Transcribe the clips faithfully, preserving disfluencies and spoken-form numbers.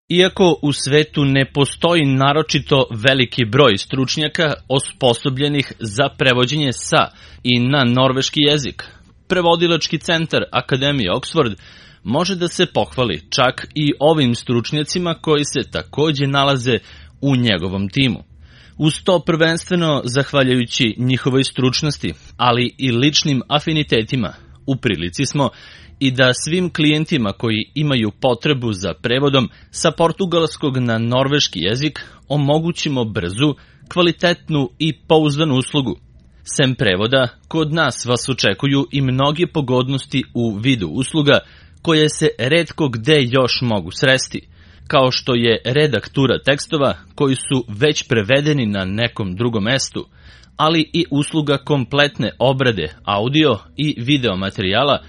Iako u svetu ne postoji naročito veliki broj stručnjaka osposobljenih za prevođenje sa i na norveški jezik, prevodilački centar Akademije Oxford može da se pohvali čak i ovim stručnjacima koji se takođe nalaze u njegovom timu. Uz to prvenstveno zahvaljujući njihovoj stručnosti, ali i ličnim afinitetima, u prilici smo i da svim klijentima koji imaju potrebu za prevodom sa portugalskog na norveški jezik omogućimo brzu, kvalitetnu i pouzdanu uslugu. Sem prevoda, kod nas vas očekuju i mnoge pogodnosti u vidu usluga koje se retko gde još mogu sresti, kao što je redaktura tekstova koji su već prevedeni na nekom drugom mestu, ali i usluga kompletne obrade audio i video materijala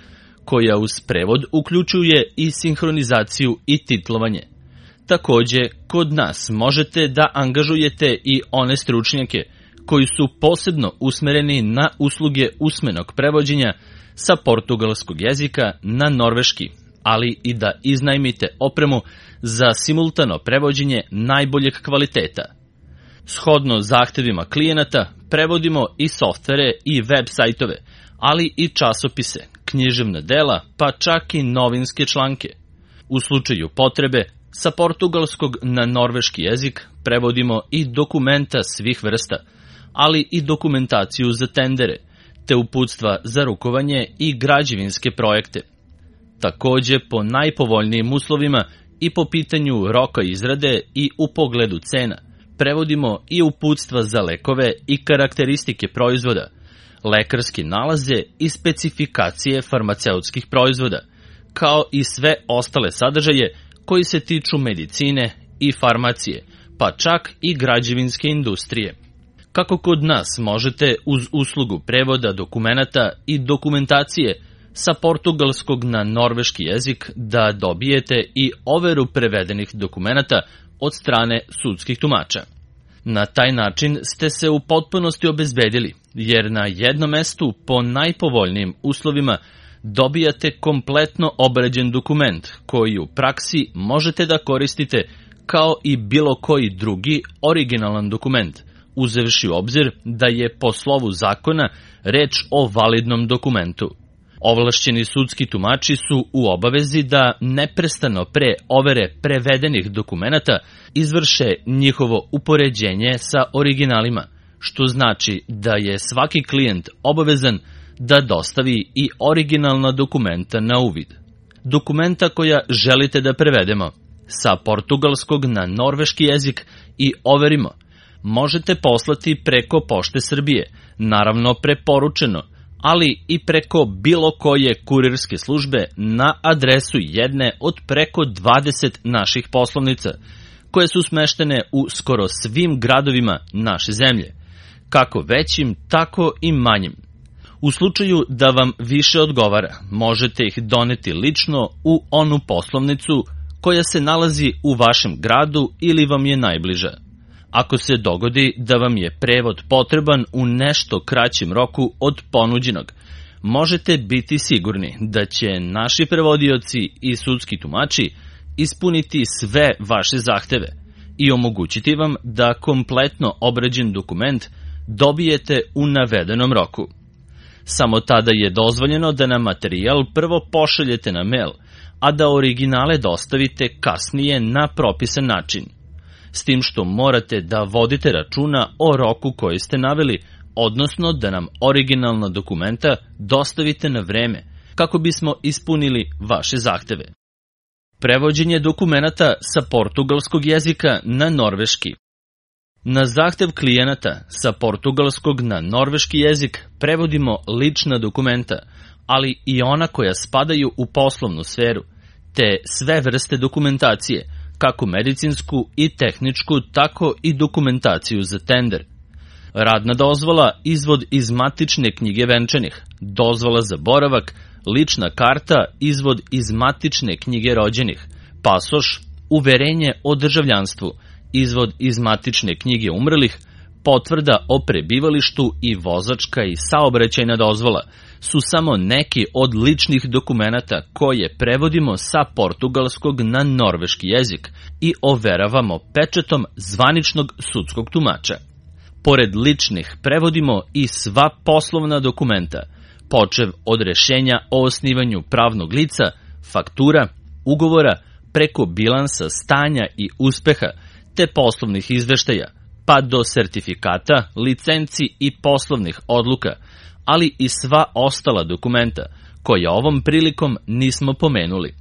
koja uz prevod uključuje i sinhronizaciju i titlovanje. Takođe, kod nas možete da angažujete i one stručnjake koji su posebno usmereni na usluge usmenog prevođenja sa portugalskog jezika na norveški, ali i da iznajmite opremu za simultano prevođenje najboljeg kvaliteta. Shodno zahtevima klijenata, prevodimo i softvere i web sajtove, ali i časopise, književna dela, pa čak i novinske članke. U slučaju potrebe, sa portugalskog na norveški jezik prevodimo i dokumenta svih vrsta, ali i dokumentaciju za tendere, te uputstva za rukovanje i građevinske projekte. Takođe, po najpovoljnijim uslovima i po pitanju roka izrade i u pogledu cena, prevodimo i uputstva za lekove i karakteristike proizvoda, lekarske nalaze i specifikacije farmaceutskih proizvoda, kao i sve ostale sadržaje koji se tiču medicine i farmacije, pa čak i građevinske industrije. Kako kod nas možete uz uslugu prevoda dokumenata i dokumentacije sa portugalskog na norveški jezik da dobijete i overu prevedenih dokumenata od strane sudskih tumača. Na taj način ste se u potpunosti obezbedili, jer na jednom mestu po najpovoljnijim uslovima dobijate kompletno obrađen dokument koji u praksi možete da koristite kao i bilo koji drugi originalan dokument, uzevši u obzir da je po slovu zakona reč o validnom dokumentu. Ovlašćeni sudski tumači su u obavezi da neprestano pre overe prevedenih dokumenata izvrše njihovo upoređenje sa originalima, što znači da je svaki klijent obavezan da dostavi i originalna dokumenta na uvid. Dokumenta koja želite da prevedemo sa portugalskog na norveški jezik i overimo možete poslati preko Pošte Srbije, naravno preporučeno, ali i preko bilo koje kurirske službe na adresu jedne od preko dvadeset naših poslovnica, koje su smeštene u skoro svim gradovima naše zemlje, kako većim, tako i manjim. U slučaju da vam više odgovara, možete ih doneti lično u onu poslovnicu koja se nalazi u vašem gradu ili vam je najbliža. Ako se dogodi da vam je prevod potreban u nešto kraćem roku od ponuđenog, možete biti sigurni da će naši prevodioci i sudski tumači ispuniti sve vaše zahteve i omogućiti vam da kompletno obrađen dokument dobijete u navedenom roku. Samo tada je dozvoljeno da nam materijal prvo pošaljete na mail, a da originale dostavite kasnije na propisan način. S tim što morate da vodite računa o roku koji ste naveli, odnosno da nam originalna dokumenta dostavite na vreme, kako bismo ispunili vaše zahteve. Prevođenje dokumenata sa portugalskog jezika na norveški. Na zahtev klijenata sa portugalskog na norveški jezik prevodimo lična dokumenta, ali i ona koja spadaju u poslovnu sferu, te sve vrste dokumentacije, kako medicinsku i tehničku, tako i dokumentaciju za tender. Radna dozvola, izvod iz matične knjige venčanih, dozvola za boravak, lična karta, izvod iz matične knjige rođenih, pasoš, uverenje o državljanstvu, izvod iz matične knjige umrlih, potvrda o prebivalištu i vozačka i saobraćajna dozvola, su samo neki od ličnih dokumenata koje prevodimo sa portugalskog na norveški jezik i overavamo pečatom zvaničnog sudskog tumača. Pored ličnih prevodimo i sva poslovna dokumenta, počev od rešenja o osnivanju pravnog lica, faktura, ugovora, preko bilansa stanja i uspeha, te poslovnih izveštaja, pa do sertifikata, licenci i poslovnih odluka, ali i sva ostala dokumenta, koja ovom prilikom nismo pomenuli.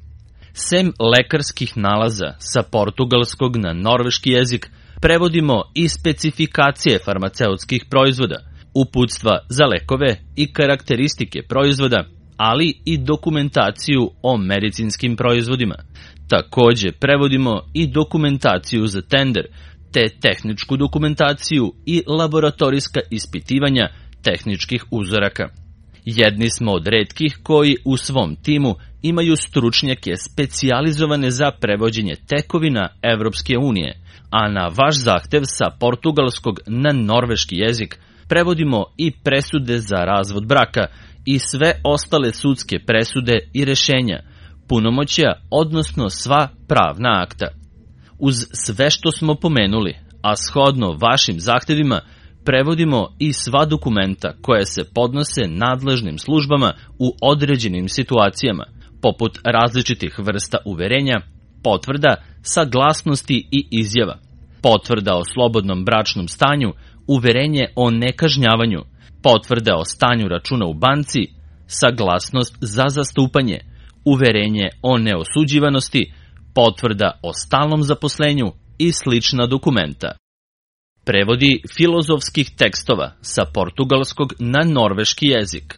Sem lekarskih nalaza sa portugalskog na norveški jezik, prevodimo i specifikacije farmaceutskih proizvoda, uputstva za lekove i karakteristike proizvoda, ali i dokumentaciju o medicinskim proizvodima. Takođe prevodimo i dokumentaciju za tender, te tehničku dokumentaciju i laboratorijska ispitivanja tehničkih uzoraka. Jedni smo od retkih koji u svom timu imaju stručnjake specijalizovane za prevođenje tekovina Evropske unije, a na vaš zahtev sa portugalskog na norveški jezik prevodimo i presude za razvod braka i sve ostale sudske presude i rešenja, punomoćja, odnosno sva pravna akta. Uz sve što smo pomenuli, a shodno vašim zahtevima, prevodimo i sva dokumenta koja se podnose nadležnim službama u određenim situacijama, poput različitih vrsta uverenja, potvrda, saglasnosti i izjava, potvrda o slobodnom bračnom stanju, uverenje o nekažnjavanju, potvrda o stanju računa u banci, saglasnost za zastupanje, uverenje o neosuđivanosti, potvrda o stalnom zaposlenju i slična dokumenta. Prevodi filozofskih tekstova sa portugalskog na norveški jezik.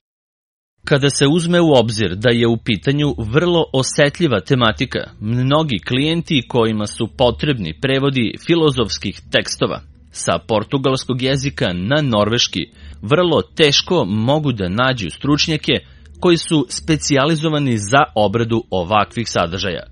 Kada se uzme u obzir da je u pitanju vrlo osetljiva tematika, mnogi klijenti kojima su potrebni prevodi filozofskih tekstova sa portugalskog jezika na norveški vrlo teško mogu da nađu stručnjake koji su specijalizovani za obradu ovakvih sadržaja.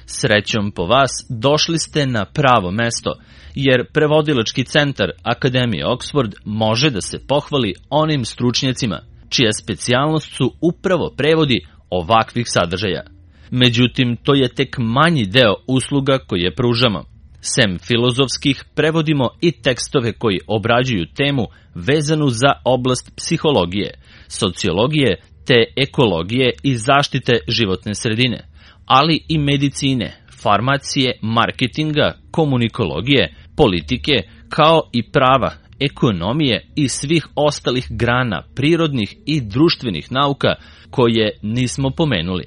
Srećom po vas, došli ste na pravo mesto, jer prevodilački centar Akademije Oxford može da se pohvali onim stručnjacima čija specijalnost su upravo prevodi ovakvih sadržaja. Međutim, to je tek manji deo usluga koje pružamo. Sem filozofskih, prevodimo i tekstove koji obrađuju temu vezanu za oblast psihologije, sociologije te ekologije i zaštite životne sredine, ali i medicine, farmacije, marketinga, komunikologije, politike, kao i prava, ekonomije i svih ostalih grana prirodnih i društvenih nauka koje nismo pomenuli.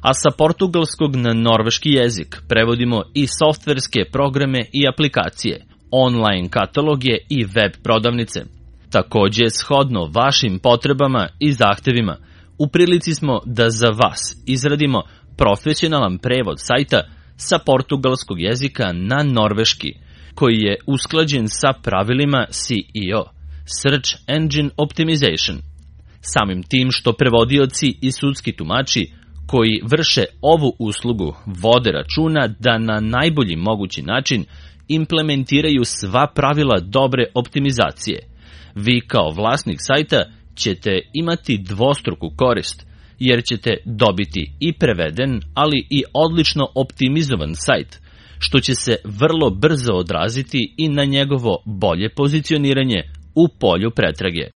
A sa portugalskog na norveški jezik prevodimo i softverske programe i aplikacije, online kataloge i web prodavnice. Takođe, shodno vašim potrebama i zahtevima, u prilici smo da za vas izradimo profesionalan prevod sajta sa portugalskog jezika na norveški, koji je usklađen sa pravilima C E O, Search Engine Optimization. Samim tim što prevodioci i sudski tumači koji vrše ovu uslugu vode računa da na najbolji mogući način implementiraju sva pravila dobre optimizacije. Vi kao vlasnik sajta ćete imati dvostruku korist, jer ćete dobiti i preveden, ali i odlično optimizovan sajt, što će se vrlo brzo odraziti i na njegovo bolje pozicioniranje u polju pretrage.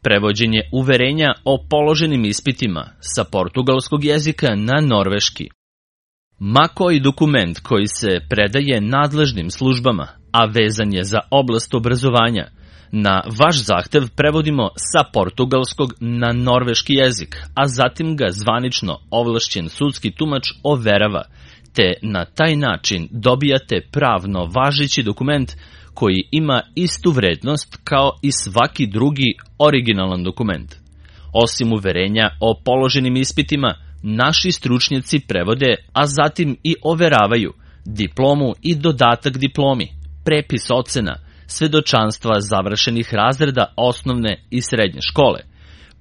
Prevođenje uverenja o položenim ispitima sa portugalskog jezika na norveški. Ma koji dokument koji se predaje nadležnim službama, a vezan je za oblast obrazovanja, na vaš zahtev prevodimo sa portugalskog na norveški jezik, a zatim ga zvanično ovlašćen sudski tumač overava, te na taj način dobijate pravno važeći dokument koji ima istu vrednost kao i svaki drugi originalan dokument. Osim uverenja o položenim ispitima, naši stručnjaci prevode, a zatim i overavaju diplomu i dodatak diplomi, prepis ocena, svedočanstva završenih razreda osnovne i srednje škole,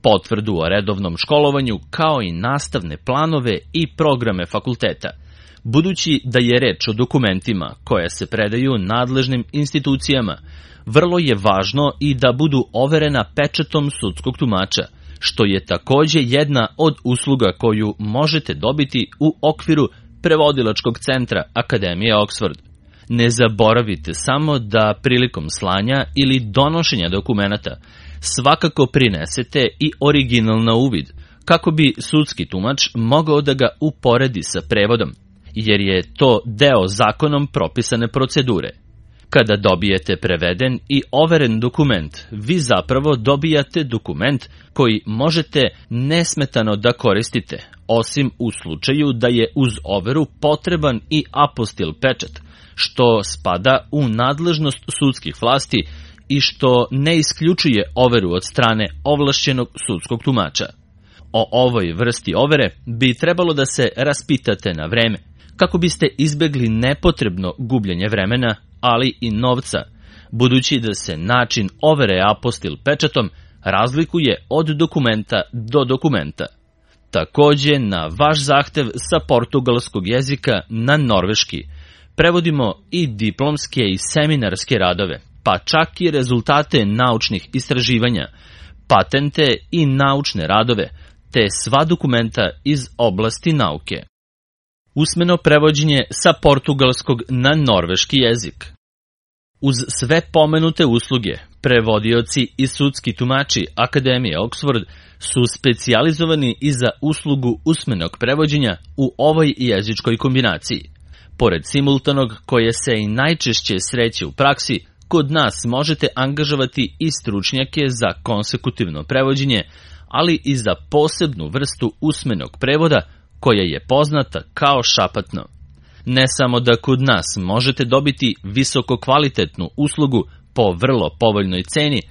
potvrdu o redovnom školovanju kao i nastavne planove i programe fakulteta. Budući da je reč o dokumentima koje se predaju nadležnim institucijama, vrlo je važno i da budu overena pečatom sudskog tumača, što je takođe jedna od usluga koju možete dobiti u okviru prevodilačkog centra Akademije Oxford. Ne zaboravite samo da prilikom slanja ili donošenja dokumenata svakako prinesete i original na uvid, kako bi sudski tumač mogao da ga uporedi sa prevodom, jer je to deo zakonom propisane procedure. Kada dobijete preveden i overen dokument, vi zapravo dobijate dokument koji možete nesmetano da koristite, osim u slučaju da je uz overu potreban i apostil pečat, što spada u nadležnost sudskih vlasti i što ne isključuje overu od strane ovlašćenog sudskog tumača. O ovoj vrsti overe bi trebalo da se raspitate na vreme, kako biste izbegli nepotrebno gubljenje vremena, ali i novca, budući da se način overe apostil pečatom razlikuje od dokumenta do dokumenta. Takođe, na vaš zahtev sa portugalskog jezika na norveški prevodimo i diplomske i seminarske radove, pa čak i rezultate naučnih istraživanja, patente i naučne radove, te sva dokumenta iz oblasti nauke. Usmeno prevođenje sa portugalskog na norveški jezik. Uz sve pomenute usluge, prevodioci i sudski tumači Akademije Oxford su specijalizovani i za uslugu usmenog prevođenja u ovoj jezičkoj kombinaciji. Pored simultanog, koje se i najčešće sreće u praksi, kod nas možete angažovati i stručnjake za konsekutivno prevođenje, ali i za posebnu vrstu usmenog prevoda koja je poznata kao šapatno. Ne samo da kod nas možete dobiti visoko kvalitetnu uslugu po vrlo povoljnoj ceni,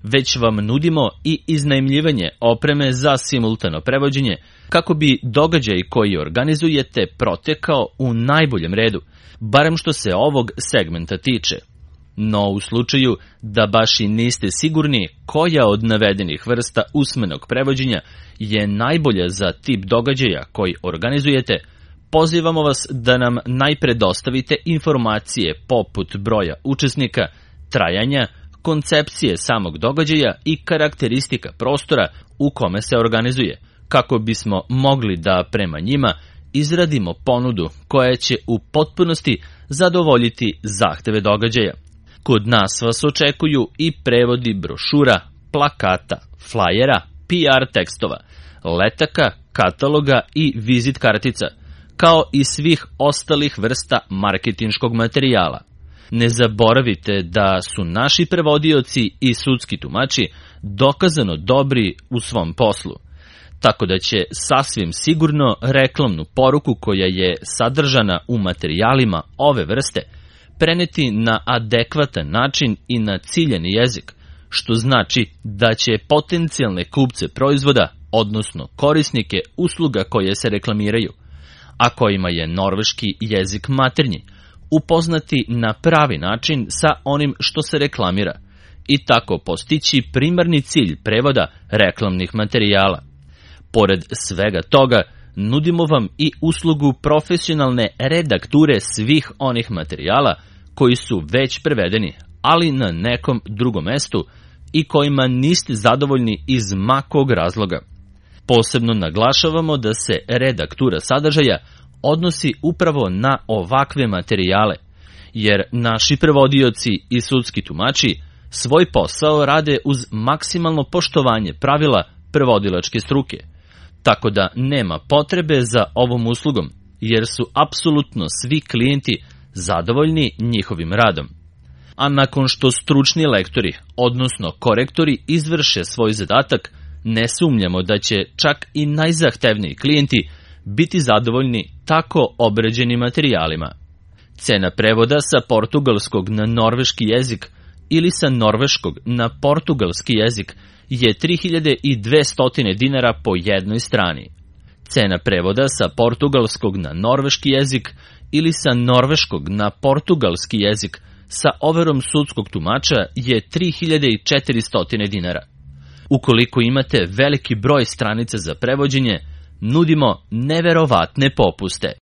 već vam nudimo i iznajmljivanje opreme za simultano prevođenje, kako bi događaj koji organizujete protekao u najboljem redu, barem što se ovog segmenta tiče. No u slučaju da baš i niste sigurni koja od navedenih vrsta usmenog prevođenja je najbolja za tip događaja koji organizujete, pozivamo vas da nam najpre dostavite informacije poput broja učesnika, trajanja, koncepcije samog događaja i karakteristika prostora u kome se organizuje, kako bismo mogli da prema njima izradimo ponudu koja će u potpunosti zadovoljiti zahteve događaja. Kod nas vas očekuju i prevodi brošura, plakata, flajera, P R tekstova, letaka, kataloga i vizit kartica, kao i svih ostalih vrsta marketinškog materijala. Ne zaboravite da su naši prevodioci i sudski tumači dokazano dobri u svom poslu, tako da će sasvim sigurno reklamnu poruku koja je sadržana u materijalima ove vrste preneti na adekvatan način i na ciljani jezik, što znači da će potencijalne kupce proizvoda, odnosno korisnike usluga koje se reklamiraju, a kojima je norveški jezik maternji, upoznati na pravi način sa onim što se reklamira i tako postići primarni cilj prevoda reklamnih materijala. Pored svega toga, nudimo vam i uslugu profesionalne redakture svih onih materijala koji su već prevedeni, ali na nekom drugom mestu i kojima niste zadovoljni iz ma kog razloga. Posebno naglašavamo da se redaktura sadržaja odnosi upravo na ovakve materijale, jer naši prevodioci i sudski tumači svoj posao rade uz maksimalno poštovanje pravila prevodilačke struke, tako da nema potrebe za ovom uslugom, jer su apsolutno svi klijenti zadovoljni njihovim radom. A nakon što stručni lektori, odnosno korektori, izvrše svoj zadatak, ne sumnjamo da će čak i najzahtevniji klijenti biti zadovoljni tako obrađenim materijalima. Cena prevoda sa portugalskog na norveški jezik ili sa norveškog na portugalski jezik je tri hiljade dvesta dinara po jednoj strani. Cena prevoda sa portugalskog na norveški jezik ili sa norveškog na portugalski jezik sa overom sudskog tumača je tri hiljade četiristo dinara. Ukoliko imate veliki broj stranica za prevođenje, nudimo neverovatne popuste.